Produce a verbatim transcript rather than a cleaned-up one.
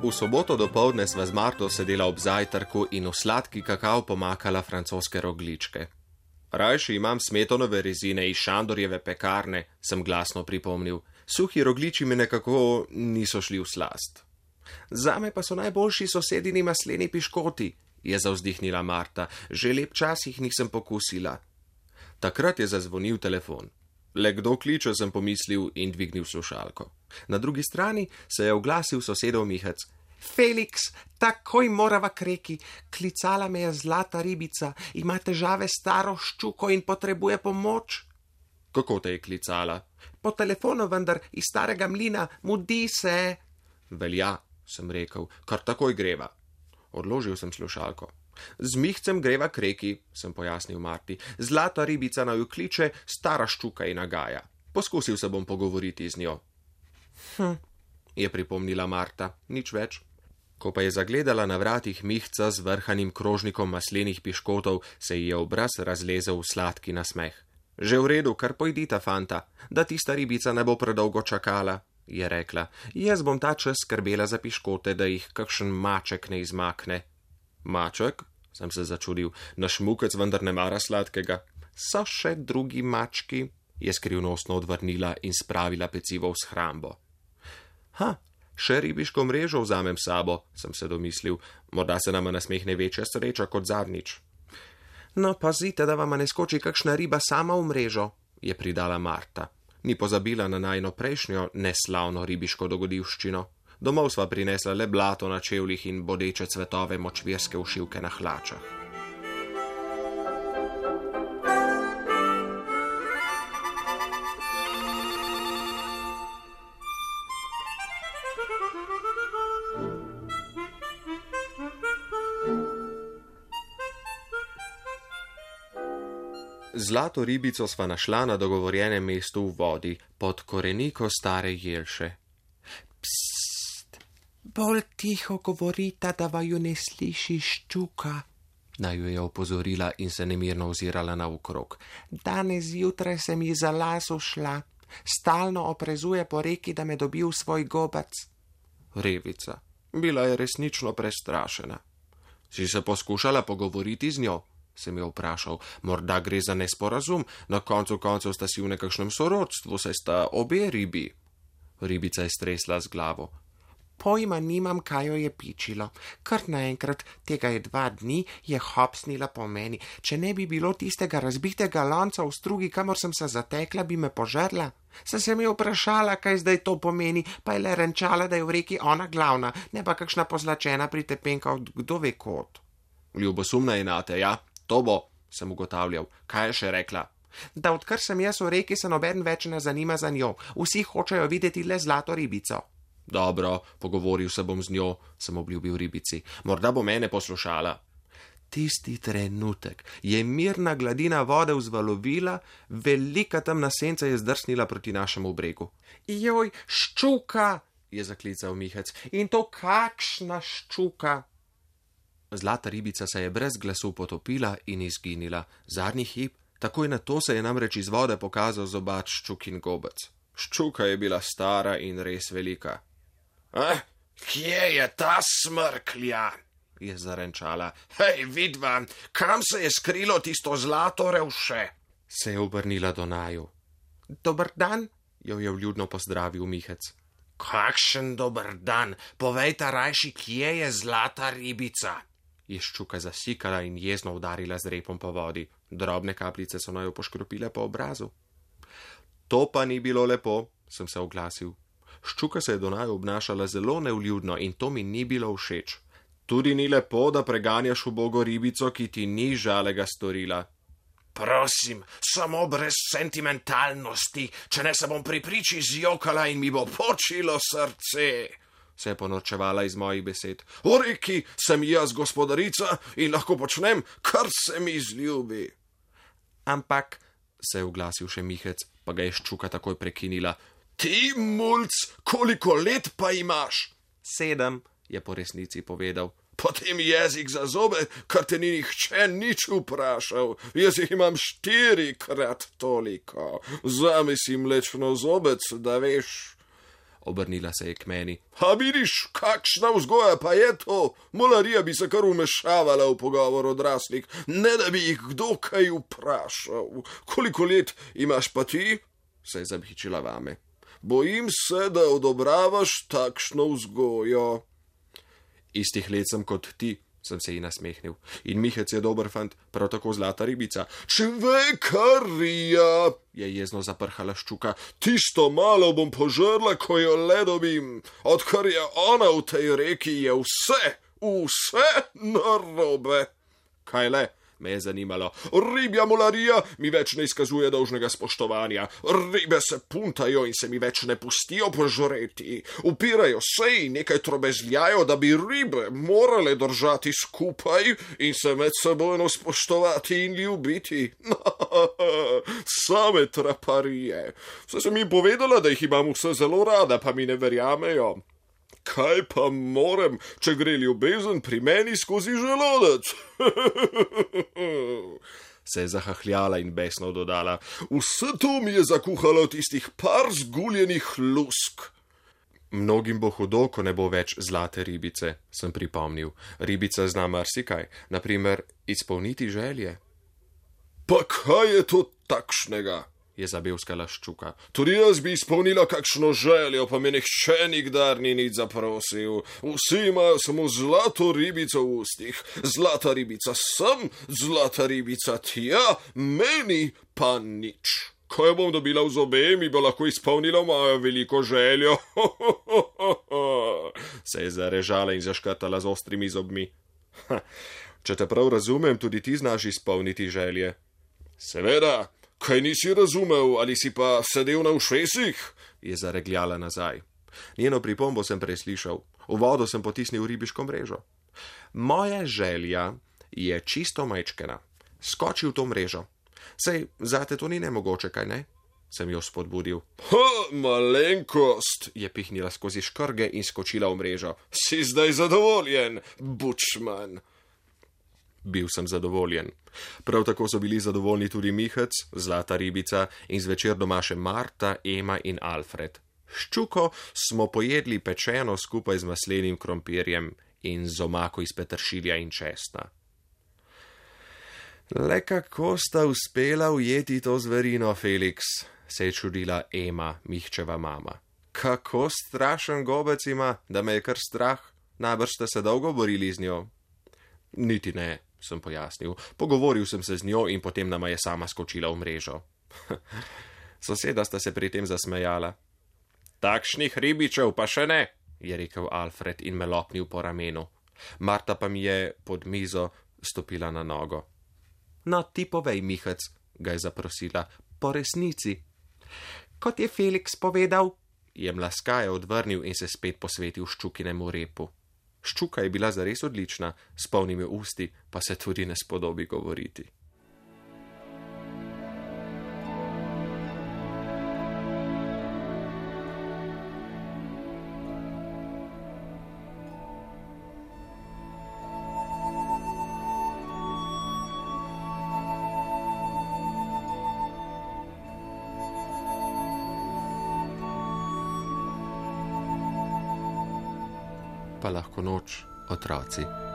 V soboto dopoldne sva z Marto sedela ob zajtrku in v sladki kakav pomakala francoske rogličke. Rajši imam smetonove rezine iz Šandorjeve pekarne, sem glasno pripomnil. Suhi rogliči mi nekako niso šli v slast. Zame pa so najboljši sosedini masleni piškoti, je zavzdihnila Marta. Že lep čas jih nisem pokusila. Takrat je zazvonil telefon. Le kdo kliče, sem pomislil in dvignil slušalko. Na drugi strani se je oglasil sosedov Mihec. Felix, takoj morava k reki. Klicala me je zlata ribica, ima težave s staro ščuko in potrebuje pomoč. Kako te je klicala? Po telefonu, vendar iz starega mlina, mudi se. Velja, sem rekel, kar takoj greva. Odložil sem slušalko. Z Mihcem greva k reki, sem pojasnil Marti. Zlata ribica naju kliče, stara ščuka in nagaja. Poskusil se bom pogovoriti z njo. Hm, je pripomnila Marta, nič več. Ko pa je zagledala na vratih Mihca z vrhanim krožnikom maslenih piškotov, se ji je obraz razlezel v sladki nasmeh. Že v redu, kar pojdita, fanta, da tista ribica ne bo predolgo čakala, je rekla. Jaz bom ta čas skrbela za piškote, da jih kakšen maček ne izmakne. Maček? Sem se začudil. Naš Mukec vendar ne mara sladkega. So še drugi mački, je skrivnostno odvrnila in spravila pecivo v shrambo. Ha, še ribiško mrežo vzamem sabo, sem se domislil. Morda se nama nasmehne večja sreča kot zadnjič. No, pazite, da vama ne skoči kakšna riba sama v mrežo, je pridala Marta. Ni pozabila na najno prejšnjo neslavno ribiško dogodivščino. Domov sva prinesla le blato na čevljih in bodeče cvetove močvirske ušivke na hlačah. Zlato ribico sva našla na dogovorjenem mestu v vodi, pod koreniko stare jelše. Psst, bolj tiho govorita, da vaju ne sliši ščuka, naju je opozorila in se nemirno ozirala naokrog. Danes zjutraj sem ji za las ušla, stalno oprezuje po reki, da me dobi v svoj gobac. Revica, bila je resnično prestrašena. Si se poskušala pogovoriti z njo? Sem jo vprašal. Morda gre za nesporazum, na koncu koncev sta si v nekakšnem sorodstvu, saj sta obe ribi. Ribica je stresla z glavo. Pojma nimam, kaj jo je pičilo. Kar naenkrat, tega je dva dni, je hopsnila po meni. Če ne bi bilo tistega razbitega lonca v strugi, kamor sem se zatekla, bi me požrla. Sem se mi vprašala, kaj zdaj to pomeni, pa je le renčala, da je v reki ona glavna, ne pa kakšna pozlačena pritepenka od kdo ve kot. Ljubosumna je nate, ja? To bo, sem ugotavljal. Kaj je še rekla? Da odkar sem jaz v reki, se noben več ne zanima za njo. Vsi hočejo videti le zlato ribico. Dobro, pogovoril se bom z njo, sem obljubil ribici. Morda bo mene poslušala. Tisti trenutek je mirna gladina vode vzvalovila, velika temna senca je zdrsnila proti našemu bregu. Joj, ščuka, je zaklical Mihec. In to kakšna ščuka? Zlata ribica se je brez glasu potopila in izginila. Zadnji hip, takoj na to se je namreč iz vode pokazal zobač ščukin gobec. Ščuka je bila stara in res velika. Eh, kje je ta smrklja? Je zarenčala. Hej, vidva, kam se je skrilo tisto zlato revše? Se je obrnila do naju. Dober dan, jo je vljudno pozdravil Mihec. Kakšen dober dan, povejta rajši, kje je zlata ribica? Je ščuka zasikala in jezno udarila z repom po vodi. Drobne kapljice so naju poškropile po obrazu. To pa ni bilo lepo, sem se oglasil. Ščuka se je do naju obnašala zelo nevljudno in to mi ni bilo všeč. Tudi ni lepo, da preganjaš ubogo ribico, ki ti ni žalega storila. Prosim, samo brez sentimentalnosti, če ne se bom pri priči zjokala in mi bo počilo srce, se je ponorčevala iz mojih besed. V reki sem jaz gospodarica in lahko počnem, kar se mi zljubi. Ampak, se je oglasil še Mihec, pa ga je ščuka takoj prekinila. Ti, mulc, koliko let pa imaš? Sedem, je po resnici povedal. Potem jezik za zobe, kar te ni nihče nič vprašal. Jaz jih imam štirikrat toliko. Zame si mlečno zobec, da veš. Obrnila se je k meni. A vidiš, kakšna vzgoja pa je to? Mularija bi se kar umešavala v pogovor odraslih, ne da bi jih kdo kaj vprašal. Koliko let imaš pa ti? Se je zabhičila vame. Bojim se, da odobravaš takšno vzgojo. Istih let sem kot ti, sem se ji nasmehnil. In Mihec je dober fant, prav tako zlata ribica. Čvekarija, je jezno zaprhala Ščuka. Tisto malo bom požrla, ko jo le dobim. Odkar je ona v tej reki, je vse, vse narobe. Kaj le? Me je zanimalo. Ribja mularija mi več ne izkazuje dolžnega spoštovanja. Ribe se puntajo in se mi več ne pustijo požreti. Upirajo se in nekaj trobezljajo, da bi ribe morale držati skupaj in se med sebojno spoštovati in ljubiti. Same traparije. Vse sem jim povedala, da jih imam vse zelo rada, pa mi ne verjamejo. Kaj pa morem, če gre ljubezen pri meni skozi želodec? Se je zahahljala in besno dodala. Vse to mi je zakuhalo tistih par zguljenih lusk. Mnogim bo hudo, ko ne bo več zlate ribice, sem pripomnil. Ribica zna marsikaj, naprimer izpolniti želje. Pa kaj je to takšnega? Je zabevskala Ščuka. Tudi jaz bi izpolnila kakšno željo, pa me nihče nikdar ni nič zaprosil. Vsi imajo samo zlato ribico v ustih. Zlata ribica sem, zlata ribica tja, meni pa nič. Ko jo bom dobila v zobe, mi bo lahko izpolnila mojo veliko željo. Se je zarežala in zaškrtala z ostrimi zobmi. Ha, če te prav razumem, tudi ti znaš izpolniti želje. Seveda. Kaj nisi razumel, ali si pa sedel na ušesih? Je zaregljala nazaj. Njeno pripombo sem preslišal. V vodo sem potisnil ribiško mrežo. Moja želja je čisto majčkena. Skoči v to mrežo. Sej, zate to ni nemogoče, kaj ne? Sem jo spodbudil. Ha, malenkost, je pihnila skozi škrge in skočila v mrežo. Si zdaj zadovoljen, bučman? Bil sem zadovoljen. Prav tako so bili zadovoljni tudi Mihec, zlata ribica in zvečer doma še Marta, Ema in Alfred. Ščuko smo pojedli pečeno skupaj z maslenim krompirjem in z omako iz peteršilja in česna. Le kako sta uspela ujeti to zverino, Felix, se je čudila Ema, Mihčeva mama. Kako strašen gobec ima, da me je kar strah. Najbrž ste se dolgo borili z njo. Niti ne, sem pojasnil. Pogovoril sem se z njo in potem nama je sama skočila v mrežo. Soseda sta se pri tem zasmejala. Takšnih ribičev pa še ne, je rekel Alfred in me lopnil po ramenu. Marta pa mi je pod mizo stopila na nogo. No, ti povej, Mihec, ga je zaprosila, po resnici. Kot je Felix povedal, je mlaskaje odvrnil in se spet posvetil Ščukinemu repu. Ščuka je bila zares odlična, s polnimi usti pa se tudi ne spodobi govoriti. Pa lahko noč, otroci.